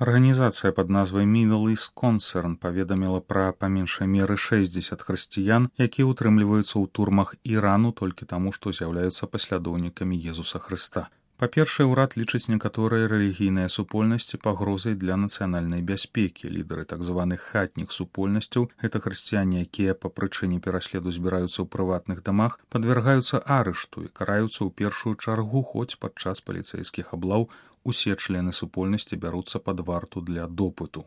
Арганізацыя пад назвай Middle East Concern паведаміла пра па меншай меры 60 хрысціян, якія ўтрымліваюцца ў турмах Ірану толькі таму, што з'яўляюцца паслядоўнікамі Езуса Хрыста. Па-першае, урад лічыць некаторыя рэлігійныя супольнасці пагрозай для нацыянальнай бяспекі. Лідары так званых хатніх супольнасцяў, гэта хрысціяне, якія па прычыне пераследу збіраюцца ў прыватных дамах, падвяргаюцца арышту і караюцца ў першую чаргу, хоць падчас паліцэйскіх аблаў усе члены супольнасці бяруцца пад варту для допыту.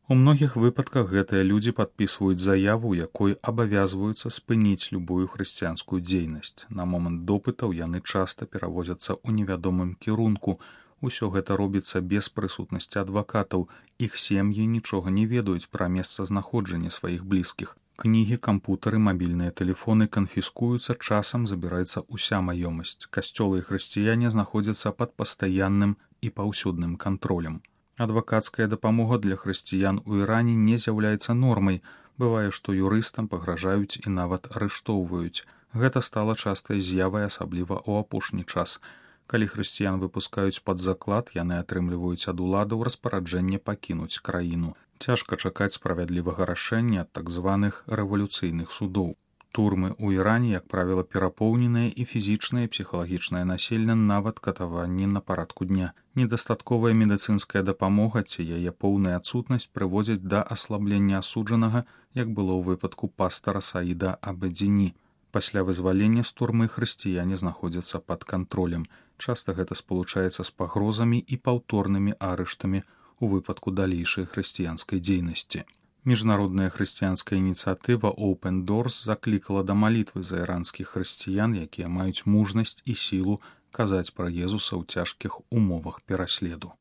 У многіх выпадках гэтыя людзі падпісваюць заяву, якой абавязваюцца спыніць любую хрысціянскую дзейнасць. На момант допытаў яны часта перавозяцца ў невядомым кірунку. Усё гэта робіцца без прысутнасці адвакатаў. Іх сем'і нічога не ведаюць пра месцазнаходжанне сваіх блізкіх. Кнігі, кампутары, мабільныя тэлефоны канфіскуюцца, часам забіраецца ўся маёмасць. Касцёлы і хрысціяне знаходзяцца пад пастаянным і паўсюдным кантролем. Адвакацкая дапамога для хрысціян у Іране не з'яўляецца нормай. Бывае, што юрыстам пагражаюць і нават арыштоўваюць. Гэта стала частай з'явай, асабліва ў апошні час. Калі хрысціян выпускаюць пад заклад, яны атрымліваюць ад уладаў распараджэнне пакінуць краіну. Цяжка чакаць справядлівага рашэння ад так званых рэвалюцыйных судоў. Турмы ў Іране, як правіла, перапоўненыя і фізічнае і псіхалагічнае насельне, нават катаванні на парадку дня. Недастатковая медыцынская дапамога ці яе поўная адсутнасць прыводзяць да аслаблення асуджанага, як было ў выпадку пастара Саіда Абедзіні. Пасля вызвалення з турмы хрысціяне знаходзяцца пад кантролем. Часта гэта спалучаецца з пагрозамі і паўторнымі арыштамі у выпадку далейшай хрысціянскай дзейнасці. Міжнародная хрысціянская ініцыятыва Open Doors заклікала да малітвы за іранскіх хрысціян, якія маюць мужнасць і сілу казаць пра Езуса ў цяжкіх умовах пераследу.